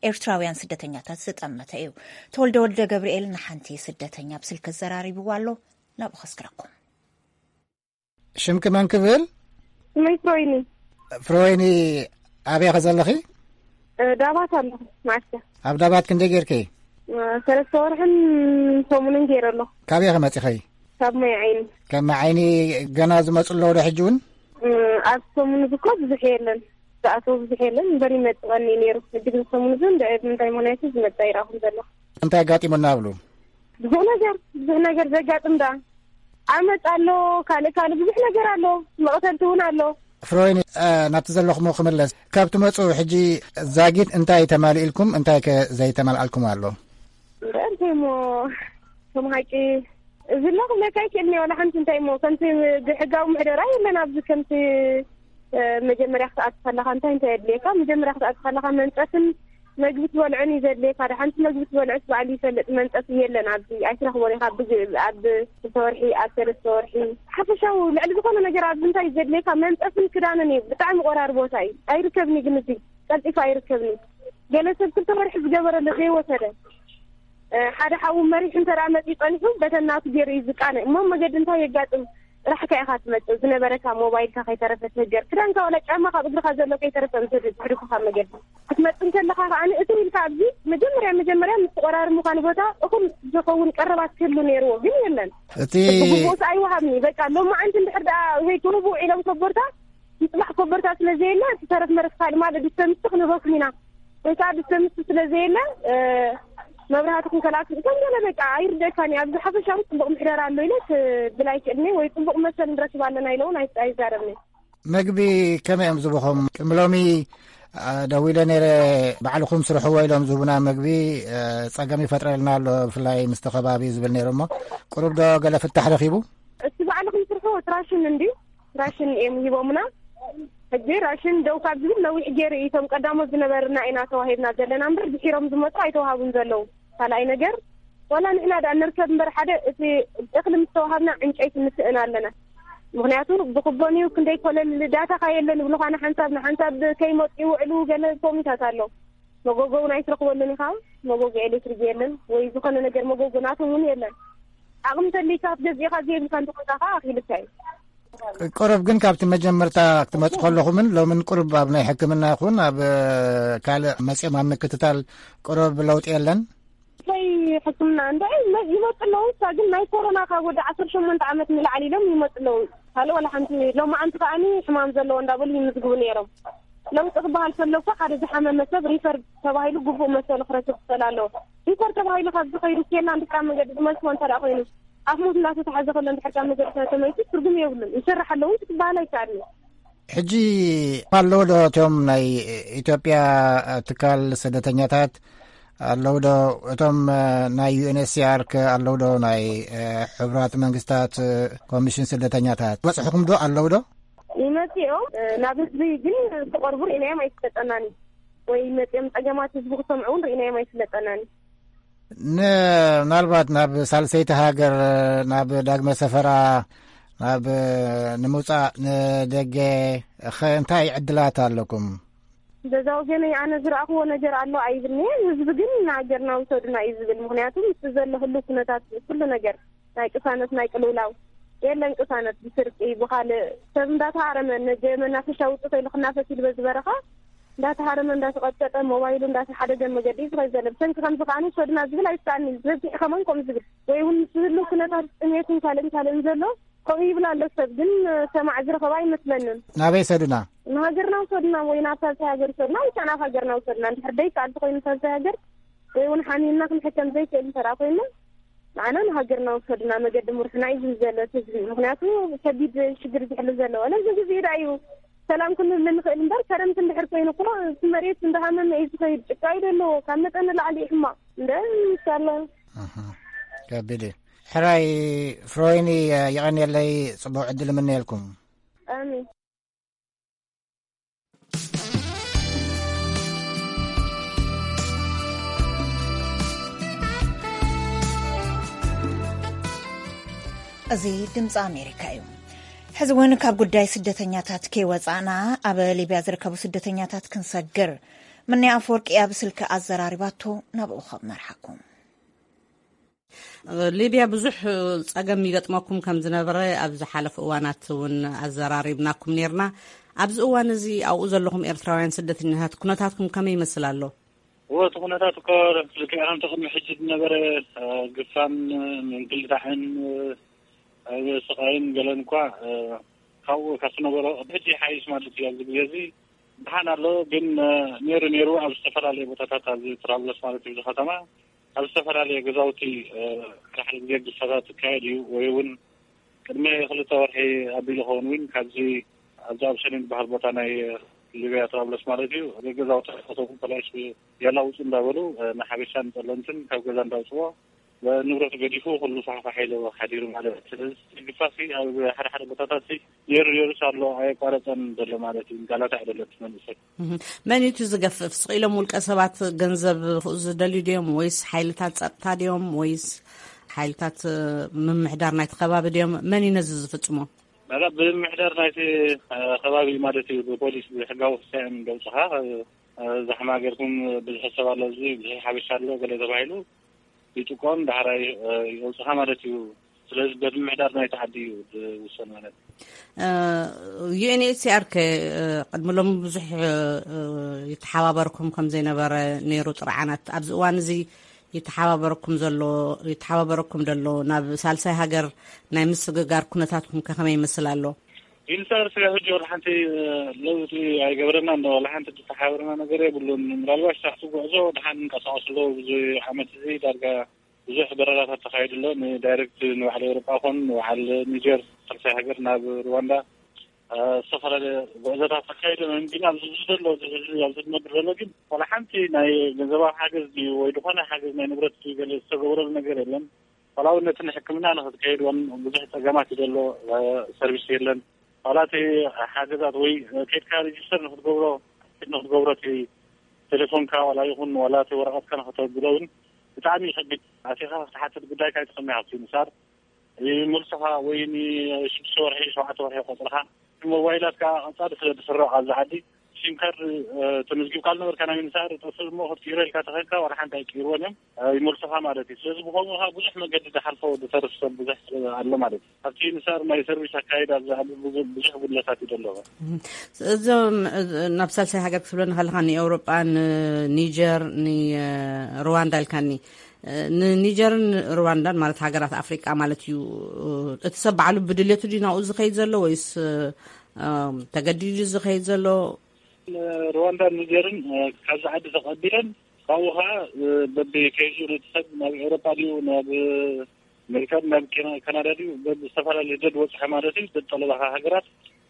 ኤርትራውያን ስደተኛታት ዝጠመተ እዩ። ተወልደ ወልደ ገብርኤል ንሓንቲ ስደተኛ ብስልኪ ዘራሪብዋ ኣሎ። ናብኡ ከስግረኩም። ሽምኪ መን ክብል? ስመይ ፍሮይኒ። ፍሮይኒ፣ ኣበይ ከ ዘለኺ? እ፣ ዳባት ኣለኹ፣ ማዕስከር። ኣብ ዳባት ክንደይ ጌርኪ? እ፣ ሰለስተ ወርሕን ሰሙንን ጌረ ኣለኹ። ካበይ ከ መጺኺ? ካብ ማይ ዓይኒ። ካብ ማይ ዓይኒ ገና ዝመጹ ኣለዉ ዶ ሕጂ እውን? እ፣ ኣብ ሰሙን እዚ እኮ ብዙሕ የለን። ዝኣተው ብዙሕ የለን እምበር ይመጽእ ቀኒ ነይሩ። ሕጂ ግን ሰሙን እዚ እንደ ምንታይ ምኽንያት ዝመጽእ ኣይረኣኹን ዘለኹ። እንታይ ኣጋጢሙና ብሉ? ብዙሕ ነገር፣ ብዙሕ ነገር ዘጋጥም ደኣ። ዓመጽ ኣሎ፣ ካልእ ካልእ ብዙሕ ነገር ኣሎ። መቕተልቲ እውን ኣሎ። ፍሮይኒ፣ እ፣ ናብቲ ዘለኹሞ ክምለስ። ካብ ትመጹ ሕጂ ዛጊት እንታይ ተማሊእልኩም፣ እንታይ ከ ዘይተማልኣልኩም ኣሎ? እምበር እንታይ እሞ፣ ከም ሓቂ እዚ ኣሎ ክብለካ ኣይክእልን እየ። ዋላ ሓንቲ እንታይ እሞ፣ ከምቲ ብሕጋዊ ምሕደራ የለን ኣብዚ። ከምቲ፣ እ፣ መጀመርያ ክትኣቱ ከለኻ እንታይ እንታይ የድልየካ? መጀመርያ ክትኣቱ ከለኻ መንጸፍን መግቢ ትበልዕን እዩ ዘድልየካ። ደሓንቲ መግቢ ትበልዕስ ባዕሉ ይፈልጥ፣ መንጸፍ የለን ኣብዚ። ኣይትረኽቦን ኢኻ። ኣብ፣ ኣብ ክልተ ወርሒ፣ ኣብ ሰለስተ ወርሒ፣ ሓፈሻዊ ልዕሊ ዝኾነ ነገር ኣብዚ እንታይ እዩ ዘድልየካ? መንጸፍን ክዳንን እዩ። ብጣዕሚ ቆራሪ ቦታ እዩ። ኣይርከብን እዩ ግን እዚ ቀልጢፉ ኣይርከብን እዩ። ገለ ሰብ ክልተ ወርሒ ዝገበረሉ ዘይወሰደ፣ እ፣ ሓደ ሓው መሪሑ እንተ ደኣ መጺኡ ጸኒሑ፣ በተን ናቱ ገይሩ እዩ ዝቃነ። እሞ መገዲ እንታይ የጋጥም? ጥራሕካ ኢኻ ትመጽእ። ዝነበረካ ሞባይልካ ከይተረፈ ትህገር። ክዳንካ ዋላ ጫማኻ ኣብ እግርኻ ዘሎ ከይተረፈ ምስ ድሕሪኻ መገዲ። ክትመጽእ እንከለኻ ከኣ እትው ኢልካ ኣብዚ መጀመርያ መጀመርያ ምስ ተቆራርሙኻ ንቦታ እኹል ዝኸውን ቀረባት ክህሉ ነይርዎ፣ ግን የለን። እቲ ብግቡእ ኣይወሃብን እዩ። በቃ ሎማዓንቲ እንድሕር ደኣ ወይ ትህቡ ውዒሎም ኮቦርታ፣ ንጽባሕ ኮቦርታ ስለ ዘየለ፣ እቲ ተረፍ መረፍ ካልእ ማለት ዲስተምስ ክንህበኩም ኢና። ወይ ከኣ ዲስተምስ ስለ ዘየለ፣ እ፣ መብራህቲ ክንከላእኩም። ከም ገለ በቃ ኣይርደእካን እዩ። ኣብዚ ሓፈሻዊ ጽቡቕ ምሕደራ ኣሎ ኢለ ክብል ኣይክእልን እየ፣ ወይ ጽቡቕ መሰል ንረክብ ኣለና ኢለ እውን ኣይ-፣ ኣይዛረብን እየ። መግቢ ከመይ እዮም ዝህቡኹም? ቅድሚ ሎሚ፣ እ፣ ደዊለ ነይረ፣ ባዕልኹም ስርሕዎ ኢሎም ዝህቡና መግቢ፣ እ፣ ጸገም ይፈጥረልና ኣሎ፣ ብፍላይ ምስቲ ከባቢ ዝብል ነይሩ እሞ፣ ቁሩብ ዶ ገለ ፍታሕ ረኺቡ? እስቲ ባዕልኹም ስርሕዎ፣ እቲ ራሽን እንድዩ፣ ራሽን እዮም ሂቦምና። ሕጂ ራሽን ደው ካብ ዝብል ነዊሕ ገይሩ እዩ። እቶም ቀዳሞት ዝነበርና ኢና ተዋሂብና ዘለና እምበር ድሒሮም ዝመፁ ኣይተዋሃቡን ዘለዉ። ካልኣይ ነገር ዋላ ንሕና ደኣ ንርከብ እምበር ሓደ እቲ እኽሊ ምስ ተዋሃብና ዕንጨይቲ ንስእን ኣለና። ምኽንያቱ ብክቦን እዩ ክንደይ ኮለል ዳታኻ የለን ይብሉኻ ንሓንሳብ ንሓንሳብ ከይመፁ ይውዕሉ ገለ ኮሚታት ኣሎ። መጎጎ እውን ኣይትረኽበሉን ኢኻ። መጎጎ ኤሌክትሪክ የለን ወይ ዝኾነ ነገር መጎጎ ናቶም እውን የለን። ዓቕሚ ተልይካ ክትገዝእኻ ዘይብልካ እንተኾንካ ከዓ ኣኽኢልካ እዩ። ቅሩብ ግን ካብቲ መጀመርታ ክትመፁ ከለኹምን ሎምን ቅሩብ ኣብ ናይ ሕክምና ይኹን ኣብ ካልእ መፅኦም ኣብ ምክትታል ቅሩብ ለውጢ የለን። ናይ ሕክምና እንደ ይመፅ ኣለዉ። እሳ ግን ናይ ኮሮና ካብ ወዲ ዓሰርተ ሸሞንተ ዓመት ንላዕሊ ኢሎም ይመፅ ኣለዉ። ካልእ ዋላ ሓንቲ ሎማዓንቲ ከዓኒ ሕማም ዘለዎ እንዳበሉ ይምዝግቡ ነይሮም። ለውጢ ክበሃል ከሎ እኮ ሓደ ዝሓመመ ሰብ ሪፈር ተባሂሉ ግቡእ መሰሉ ክረክብ ክኽእል ኣለዎ። ሪፈር ተባሂሉ ካብ ዝኸይዱ ኬላ እንድሕር ኣብ መገዲ ዝመልስዎ እንተ ደኣ ኮይኑ ኣፍ ሞት እንዳተታሓዘ ከሎ እንድሕር ካብ መገዲ ተመልሱ ትርጉም የብሉን። ይሰርሕ ኣለዉ ክትበሃል ኣይከኣልን። ሕጂ ኣለዉ ዶ እቶም ናይ ኢትዮጵያ ትካል ስደተኛታት ኣለዉ ዶ? እቶም ናይ ዩ ኤን ኤች ሲ ኣር ከ ኣለዉ ዶ? ናይ ሕቡራት መንግስታት ኮሚሽን ስደተኛታት በፅሕኹም ዶ ኣለዉ ዶ? ይመፅኦም ናብ ህዝቢ ግን ክቐርቡ ርኢናዮም ኣይፍለጠናን እዩ። ወይ መፅኦም ፀገማት ህዝቢ ክሰምዑ እውን ርኢናዮም ኣይፍለጠናን እዩ። ን-፣ ምናልባት ናብ ሳልሰይቲ ሃገር፣ ናብ ዳግመ ሰፈራ፣ ናብ ንምውፃእ ንደገ ኸ እንታይ ዕድላት ኣለኩም? በዛ ወገነይ ኣነ ዝረኣኽዎ ነገር ኣሎ ኣይብልን'የ። ህዝቢ ግን ንሃገርና ውሰዱና እዩ ዝብል። ምኽንያቱ ምስቲ ዘሎ ህሉው ኩነታት ኩሉ ነገር ናይ ቅሳነት ናይ ቅልውላው የለን። ቅሳነት ብስርቂ ብኻልእ ሰብ እንዳተሃረመ ነገ መናፈሻ ውፅእ ተይሉ ክናፈስ ኢሉ በዚ በረኻ እንዳተሃረመ እንዳተቐጥቀጠ ሞባይሉ እንዳተሓደገ መገዲ እዩ ዝኸይድ ዘሎ። ብሰንኪ ከምዚ ከዓኒ ውሰዱና ዝብል ኣይሰኣንን። በዚሑ ከማን ከምኡ ዝብል ወይ እውን ምስ ዝህሉ ኩነታት ጥሜትን ካልእን ካልእን ዘሎ ከምኡ ይብል ኣሎ። ሰብ ግን ሰማዕ ዝረኸባ ኣይመስለንን። ናበይ ሰዱና? ንሃገርና ውሰዱና ወይ ናብ ሳልሳይ ሃገር ውሰዱና ወይ ከዓ ናብ ሃገርና ውሰዱና። እንድሕር ደይከኣል ተኮይኑ ሳልሳይ ሃገር ወይ እውን ሓሚምና ክንሕከም ዘይክእል እንተ ደኣ ኮይና ንዓና ንሃገርና ውሰዱና። መገዲ ምርሑና እዩ ዝብል ዘሎ እቲ ህዝቢ። ምክንያቱ ከቢድ ሽግር ዝሕሉ ዘሎ ነዚ ግዜ ደኣ እዩ ሰላም ክንብል ንኽእል እምበር ከረምቲ እንድሕር ኮይኑ እኮ እቲ መሬት እንዳሃመመ እዩ ዝኸይድ። ጭቃ እዩ ዘለዎ ካብ መጠን ንላዕሊ እዩ ሕማቕ። እንደ ኢንሻላ። ኣሃ፣ ከቢድ እዩ። ሕራይ ፍሮይኒ፣ የቐንየለይ፣ ጽቡቕ ዕድል እምነየልኩም። ኣሜን። እዚ ድምፂ ኣሜሪካ እዩ። ሕዚ እውን ካብ ጉዳይ ስደተኛታት ከይወፃእና ኣብ ሊብያ ዝርከቡ ስደተኛታት ክንሰግር። ምንያ ኣፈወርቂ ኣብ ስልኪ ኣዘራሪባቶ ናብኡ ካብ መርሓኩም። ሊብያ ብዙሕ ጸገም ይገጥመኩም ከም ዝነበረ ኣብ ዝሓለፉ እዋናት እውን ኣዘራሪብናኩም ነርና። ኣብዚ እዋን እዚ ኣብኡ ዘለኹም ኤርትራውያን ስደተኛታት ኩነታትኩም ከመይ ይመስል ኣሎ? እወ፣ እቲ ኩነታት እኮ ልክዕ ከምቲ ቅድሚ ሕጂ ዝነበረ፣ እ፣ ግፋን፣ እ፣ ምንግልታዕን፣ እ፣ ኣብ ስቓይን ገለን እኳ፣ እ፣ ካብኡ ካብ ዝነበሮ ቅድሚ ሕጂ ይሓይሽ ማለት እዩ። ኣብዚ ግዜ እዚ ደሓን ኣሎ፣ ግን፣ እ፣ ነይሩ ነይሩ ኣብ ዝተፈላለዩ ቦታታት ኣብዚ ጥራብሎስ ማለት እዩ፣ እዚ ከተማ ኣብ ዝተፈላለየ ገዛውቲ፣ እ፣ ሓደ ሓደ ግዜ ግፋታት ይካየድ እዩ፣ ወይ እውን ቅድሚ ክልተ ወርሒ ኣቢሉ ኸውን እውን ካብዚ ኣብዚ ኣብ ሰሜን ዝበሃል ቦታ ናይ ሊብያ ጥራብሎስ ማለት እዩ፣ ገዛውቲ ከተሙ ፖላይስ የላውፁ እንዳበሉ፣ እ፣ ንሓበሻን ጸለምትን ካብ ገዛ እንዳውፅዎ ንብረቱ ገዲፉ ኩሉ ፋሕፋሕ ኢሉ ሓዲሩ ማለት እዩ። ስለዚ ግፋሲ ኣብ ሓደ ሓደ ቦታታት ነይሩ ነይሩስ ኣሎ፣ ኣየቋረፀን ዘሎ ማለት እዩ። ጋላታ ኣይደለች መንእሰይ። እህ፣ መን እዩ እቲ ዝገፍፍ? ስቕ ኢሎም ውልቀ ሰባት ገንዘብ ክኡ ዝደልዩ ድዮም? ወይስ ሓይልታት ጸጥታ ድዮም? ወይስ ሓይልታት፣ እ፣ ምምሕዳር ናይቲ ከባቢ ድዮም? መን እዩ ነዚ ዝፍጽሞ? መላ ብምምሕዳር ናይቲ፣ እ፣ ከባቢ ማለት እዩ። ብፖሊስ ብሕጋዊ ክሳየን ደውፅኻ፣ እ፣ እ፣ ዛሕማ ገርኩም ብዙሕ ሰብ ኣሎ፣ እዚ ብዙሕ ሓበሻ ኣሎ ገለ ተባሂሉ ይጥቆም ዳሕራይ፣ እ፣ የውፅኻ ማለት እዩ። ስለዚ በቲ ምምሕዳር ናይቲ ዓዲ እዩ ዝውሰን ማለት እዩ። እ፣ ዩ ኤን ኤች ሲ ኣር ከ፣ እ፣ ቅድሚ ሎሚ ብዙሕ፣ እ፣ ይተሓባበርኩም ከም ዘይነበረ ነይሩ ጥርዓናት። ኣብዚ እዋን እዚ ይተሓባበረኩም ዘሎ፣ ይተሓባበረኩም ደሎ ናብ ሳልሳይ ሃገር ናይ ምስግጋር ኩነታትኩም ከ ከመይ ይመስል ኣሎ? ዩኒሰር ስለ ሕጂ ወላ ሓንቲ፣ እ፣ ለውጢ ኣይገበረና እንዶ ወላ ሓንቲ ዝተሓባበረና ነገር የብሉን። ምናልባት ሳሕቲ ጉዕዞ ደሓን እንቀሳቐሱ ኣለዉ። ብዙ ዓመት እዚ ዳርጋ ብዙሕ በረራታት ተኻይዱ ኣሎ። ንዳይሬክት ንባዕሊ ኤውሮጳ ኮን ንባዕል ኒጀር፣ ሳልሳይ ሃገር ናብ ሩዋንዳ፣ እ፣ ዝተፈላለየ ጉዕዞታት ተኻይዱ። ግን ኣብዚ ዘሎ፣ እዚ ሕዚ ኣብዚ ዝነብር ዘሎ ግን ዋላ ሓንቲ ናይ ገንዘባዊ ሓገዝ ድዩ ወይ ዝኾነ ሓገዝ ናይ ንብረት ድዩ ገለ ዝተገበረሉ ነገር የለን። ዋላ እውን ነቲ ንሕክምና ንክትከይድ እውን ብዙሕ ጸገማት እዩ ዘሎ፣ እ፣ ሰርቪስ የለን። ዋላ እቲ ሓገዛት ወይ ከድካ ሬጅስተር ንክትገብሮ ንክትገብሮ እቲ ቴሌፎንካ ዋላ ይኹን ዋላ እቲ ወረቐትካ ንክተብሎ እውን ብጣዕሚ ይኸብድ። ኣቲኻ ክትሓትት ጉዳይካ ኣይትሰምዕ ኣብቲ ምሳር ይመልሱኻ ወይ ንሽዱሽተ ወርሒ ሸውዓተ ወርሒ ቆፅርኻ ሞባይላት ከዓ ቀፃሊ ስለ ዝስረቕ ኣብዚ ዓዲ ሲም ካርድ ተመዝጊብካ ዝነበርካ ናይ ምንሳር ጠፍእ እሞ ክትቅይሮ ኢልካ ተኸድካ ዋላ ሓንቲ ኣይቅይርዎን እዮም። ይመልሱኻ ማለት እዩ። ስለዚ ብኸምኡ ከዓ ብዙሕ መገዲ ዝሓልፎ ዝተርፍ ሰብ ብዙሕ ኣሎ ማለት እዩ። ኣብቲ ምንሳር ናይ ሰርቪስ ኣካይድ ኣብዚ ዓዲ ብዙ- ብዙሕ ጉድለታት እዩ ዘለዎ። እዞም ናብ ሳልሳይ ሃገር ክትብለኒ ከለካ ንኤውሮጳ ንኒጀር ንሩዋንዳ ኢልካኒ። ንኒጀርን ሩዋንዳን ማለት ሃገራት ኣፍሪቃ ማለት እዩ። እቲ ሰብ ባዕሉ ብድልየቱ ድዩ ናብኡ ዝኸይድ ዘሎ ወይስ ተገዲዱ ዝኸይድ ዘሎ? ሩዋንዳን ኒጀርን ካብዚ ዓዲ ተቐቢለን ካብኡ ከዓ በቢ ከይዙ ነቲ ሰብ ናብ ኤውሮጳ ድዩ ናብ ኣሜሪካ ናብ ካናዳ ድዩ በቢ ዝተፈላለዩ ደድ ወፅሐ ማለት እዩ። ደድ ጠለባኻ ሃገራት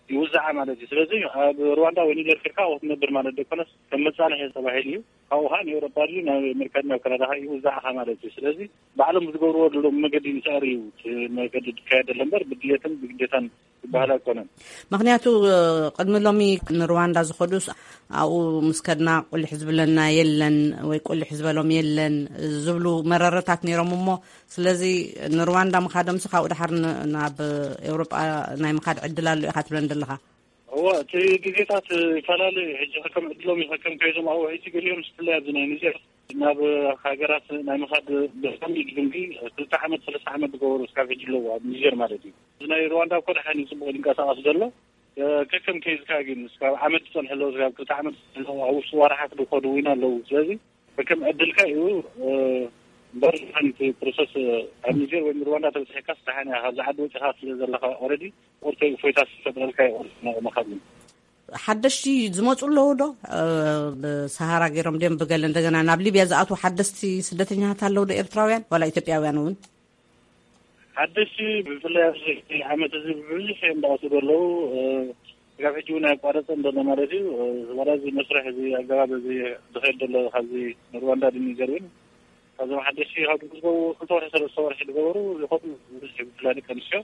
ይውዛዓ ማለት እዩ። ስለዚ ኣብ ሩዋንዳ ወይ ኒጀር ከድካ ክትነብር ማለት ደኮነስ ከም መፃንሒ ተባሂሉ እዩ። ካብኡ ከዓ ንኤውሮጳ ድዩ ናብ ኣሜሪካ ናብ ካናዳ ከዓ ይውዛዕኻ ማለት እዩ። ስለዚ ባዕሎም ዝገብርዎ ዘለዉ መገዲ ንስዕር እዩ። እቲ መገዲ ዝካየድ ዘሎ እምበር ብድልየትን ብግዴታን ዝበሃል ኣይኮነን። ምክንያቱ ቅድሚ ሎሚ ንሩዋንዳ ዝኸዱስ ኣብኡ ምስ ከድና ቁልሕ ዝብለና የለን ወይ ቁልሕ ዝበሎም የለን ዝብሉ መረረታት ነይሮም እሞ ስለዚ ንሩዋንዳ ምኻዶምሲ ካብኡ ድሓር ናብ ኤውሮጳ ናይ ምኻድ ዕድል ኣሎ ኢኻ ትብለን ዘለኻ? እወ እቲ ግዜታት ይፈላለዩ። ሕጂ ከከም ዕድሎም እዩ። ከከም ከይዞም ኣብኡ ሕጂ ገሊኦም ስፍላይ ኣብዚ ናይ ኒጀር ናብ ሃገራት ናይ ምኻድ ብጣዕሚ ድንጊ ክልተ ዓመት ሰለስተ ዓመት ዝገበሩ እስካብ ሕጂ ኣለዉ ኣብ ኒጀር ማለት እዩ። እዚ ናይ ሩዋንዳ እኮ ደሓን እዩ ጽቡቕ ዝንቀሳቐስ ዘሎ። ከከም ከይዝካ ግን እስካብ ዓመት ዝጸንሑ ኣለዉ እስካብ ክልተ ዓመት ዝጸንሑ ኣለዉ ኣብ ውሽጢ ዋርሓት ዝኸዱ እውን ኣለዉ። ስለዚ ከከም ዕድልካ እዩ። እምበር ሓንቲ ፕሮሰስ ኣብ ኒጀር ወይ ሩዋንዳ ተብፅሐካ ስታሓን እያ ካብዚ ዓዲ ወፂኻ ስለ ዘለካ ኦረዲ ቁርተይ እፎይታ ዝፈጥረልካ ይቆርጥ መኻብ ሓደሽቲ ዝመፁ ኣለዉ ዶ? ብሰሃራ ገይሮም ድዮም ብገለ እንደገና ናብ ሊብያ ዝኣትዉ ሓደስቲ ስደተኛታት ኣለዉ ዶ ኤርትራውያን ዋላ ኢትዮጵያውያን እውን? ሓደሽቲ ብፍላይ ኣብዚ ዓመት እዚ ብብዙሕ እዮም እንዳኣትዉ ዘለዉ። ስጋብ ሕጂ እውን ኣያቋረፀን ዘሎ ማለት እዩ። ዋላ እዚ መስርሕ እዚ ኣገባብ እዚ ዝኸይድ ዘሎ ካብዚ ንሩዋንዳ ድኒዘር እውን ካብዞም ሓደሽቲ ካብ ዝገቡ ክልተ ወርሒ ሰለስተ ወርሒ ዝገበሩ ይኸዱ። ብዙሕ ብፍላይ ደቂ ኣንስትዮ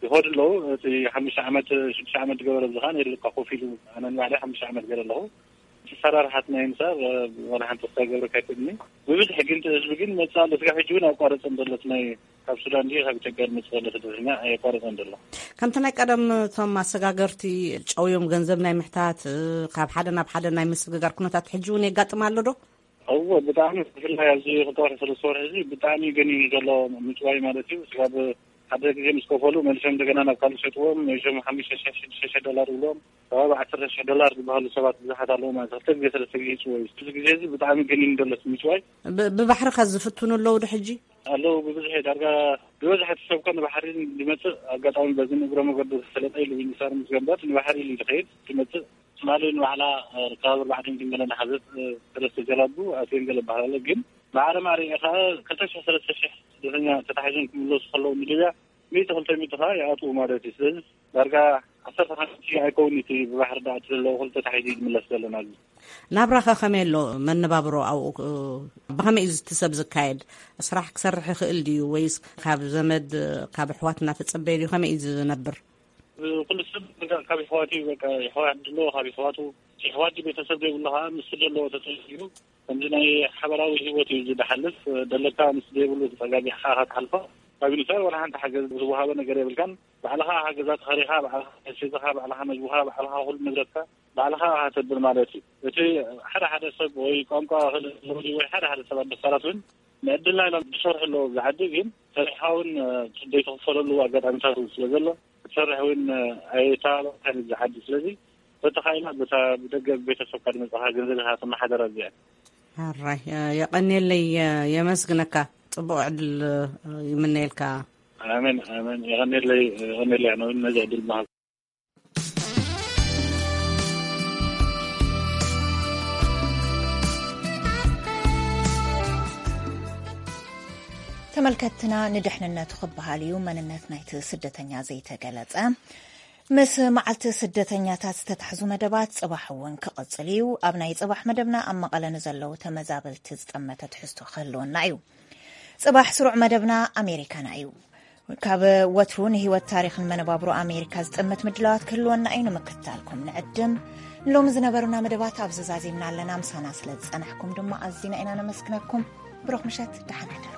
ይኸዱ ኣለዉ። እቲ ሓሙሽተ ዓመት ሽዱሽተ ዓመት ዝገበረ እዚ ከዓ ነይሩ ለካ ኮፍ ኢሉ ኣነ ንባዕለይ ሓሙሽተ ዓመት ገይረ ኣለኹ። እቲ ሰራርሓት ናይ ምሳር ዋላ ሓንቲ ክሳብ ገብረካ ኣይክእልኒ። ብብዝሒ ግን እቲ ህዝቢ ግን መፅእ ኣሎ። ስጋብ ሕጂ እውን ኣቋረፅን ዘሎ እቲ ናይ ካብ ሱዳን ድዩ ካብ ኢትዮጵያ ዝመፅእ ዘሎ ስደተኛ ኣየቋረፀን ዘሎ። ከምቲ ናይ ቀደም እቶም ኣሰጋገርቲ ጨውዮም ገንዘብ ናይ ምሕታት ካብ ሓደ ናብ ሓደ ናይ ምስግጋር ኩነታት ሕጂ እውን የጋጥም ኣሎ ዶ? እወ ብጣዕሚ ብፍላይ ኣብዚ ክልተ ወርሒ ሰለስተ ወርሒ እዚ ብጣዕሚ ገኒኑ ዘሎ ምጭዋይ ማለት እዩ። ስጋብ ሓደ ግዜ ምስ ከፈሉ መሊሶም እንደገና ናብ ካልእ ሸጥዎም መሊሶም ሓሙሽተ ሽሕ ሽዱሽተ ሽሕ ዶላር ይብሎም ከባቢ ዓሰርተ ሽሕ ዶላር ዝበሃሉ ሰባት ብዙሓት ኣለዉ ማለት ክልተ ግዜ ሰለስተ ግዜ ይጭወዩ። እዚ ግዜ እዚ ብጣዕሚ ገኒኑ ዘሎ ምጭዋይ። ብባሕሪ ከ ዝፍትኑ ኣለዉ ዶ ሕጂ? ኣለዉ ብብዝሒ ዳርጋ ዝበዝሐ እቲ ሰብ ኮ ንባሕሪ ዝመፅእ ኣጋጣሚ በዚ ንእግረ መገዱ ዝፈለጠ ኢሉ ሚኒስተር ምስ ገንበት ንባሕሪ ኢሉ ዝኸይድ ዝመፅእ ትማሊ ንባዕላ ርካብ ኣርባዕተ ሚእቲ ገለ ዝሓዘት ሰለስተ ጀላቡ ኣትየን ገለ በሃል ኣሎ። ግን ብዓለማ ርኢኻ ክልተ ሽሕ ሰለስተ ሽሕ ስደተኛ ተታሒዞም ክምለሱ ከለዉ ንሊብያ ሚእቲ ክልተ ሚእቲ ከዓ ይኣትዉ ማለት እዩ። ስለዚ ዳርጋ ዓሰርተ ሓንቲ ኣይከውን እቲ ብባሕሪ ዳኣ እቲ ዘለዎ ክልተ ተታሒዙ እዩ ዝምለስ ዘሎ ናብዚ። ናብራኸ ከመይ ኣሎ? መነባብሮ ኣብኡ ብኸመይ እዩ እቲ ሰብ ዝካየድ? ስራሕ ክሰርሕ ይኽእል ድዩ ወይስ ካብ ዘመድ ካብ ኣሕዋት እናተጸበየ ድዩ? ከመይ እዩ ዝነብር? ኩሉ ሰብ በቃ ካብ የሕዋቱ እዩ። በቃ የሕዋት ድሎ ካብ የሕዋቱ የሕዋት ቤተሰብ ዘይብሉ ከዓ ምስ ዘለዎ ተጠይዩ ከምዚ ናይ ሓበራዊ ህይወት እዩ ዝድሓልፍ። ደለካ ምስ ዘይብሉ ተጸጋጊዕካ ኢኻ ትሓልፎ። ካብ ዩኒሴፍ ዋላ ሓንቲ ሓገዝ ዝወሃበ ነገር የብልካን። ባዕልኻ ገዛ ተኸሪኻ ባዕልኻ ሒዝኻ ባዕልኻ መግብኻ ባዕልኻ ኩሉ ንብረትካ ባዕልኻ ኢኻ ተብል ማለት እዩ። እቲ ሓደ ሓደ ሰብ ወይ ቋንቋ ክእለት ወይ ሓደ ሓደ ሰባት ደፋራት እውን ንዕድልና ኢሎም ዝሰርሑ ኣለዉ ኣብዚ ዓዲ ግን ሰሪሕኻ እውን ዘይትኽፈለሉ ኣጋጣሚታት እውን ስለ ዘሎ ክትሰርሕ እውን ኣይተባባዕካን ኣብዚ ዓዲ። ስለዚ በተኻኢላ በታ ብደገ ቤተሰብካ ዝመፅኻ ገንዘብ ኢኻ ትመሓደር ኣብዚኣ። ሕራይ የቐንየለይ፣ የመስግነካ። ፅቡቕ ዕድል ይምነየልካ። ኣሜን ኣሜን። የቐንየለይ የቐንየለይ ኣነ እውን ነዚ ዕድል ምሃብ። ተመልከትና ንድሕንነቱ ክበሃል እዩ መንነት ናይቲ ስደተኛ ዘይተገለጸ። ምስ መዓልቲ ስደተኛታት ዝተታሕዙ መደባት ጽባሕ እውን ክቕጽል እዩ። ኣብ ናይ ጽባሕ መደብና ኣብ መቐለ ንዘለዉ ተመዛበልቲ ዝጠመተ ትሕዝቶ ክህልወና እዩ። ጽባሕ ስሩዕ መደብና ኣሜሪካና እዩ። ካብ ወትሩ ንህይወት ታሪኽን መነባብሮ ኣሜሪካ ዝጥምት ምድላዋት ክህልወና እዩ። ንምክትታልኩም ንዕድም። ሎሚ ዝነበሩና መደባት ኣብዚ ዛዚምና ኣለና። ምሳና ስለ ዝጸናሕኩም ድማ ኣዚና ኢና ነመስግነኩም። ብሩኽ ምሸት፣ ደሓን ሕደሩ።